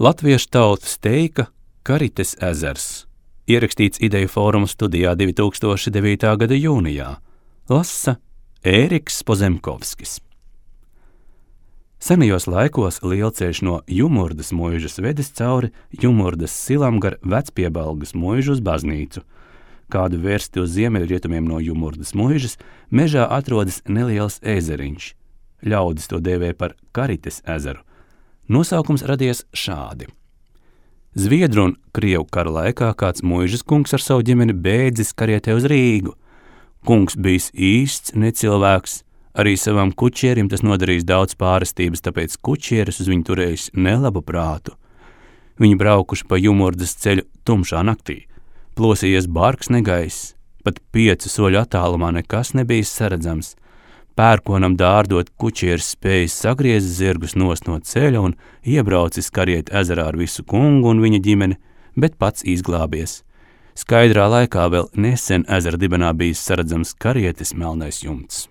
Latviešu tautas teika Karites ezers. Ierakstīts Ideju fóruma studijā 2009. gada jūnijā. Lasa Ēriks Pozemkovskis. Senajos laikos lielceļš no Jumurdas muižas vedis cauri Jumurdas silam gar Vecpiebalgas muižu uz baznīcu. Kādu vērsti uz ziemeļrietumiem no Jumurdas muižas, mežā atrodas neliels ezeriņš. Ļaudis to dēvē par Karites ezeru. Nosaukums radies šādi. Zviedru un Krievu kara laikā kāds muižas kungs ar savu ģimeni bēdzis karietē uz Rīgu. Kungs bijis īsts necilvēks, arī savam kučierim tas nodarījis daudz pārestības, tāpēc kučieris uz viņu turējis nelabu prātu. Viņi braukuši pa Jumurdas ceļu tumšā naktī. Plosījies bargs negaiss, pat 5 soļu attālumā nekas nebija saredzams. Pērkonam dārdot kučieris spējis sagriezt zirgus nost no ceļa un iebraucis kariet ezerā ar visu kungu un viņa ģimeni, bet pats izglābies. Skaidrā laikā vēl nesen ezera dibenā bijis saredzams karietes melnais jumts.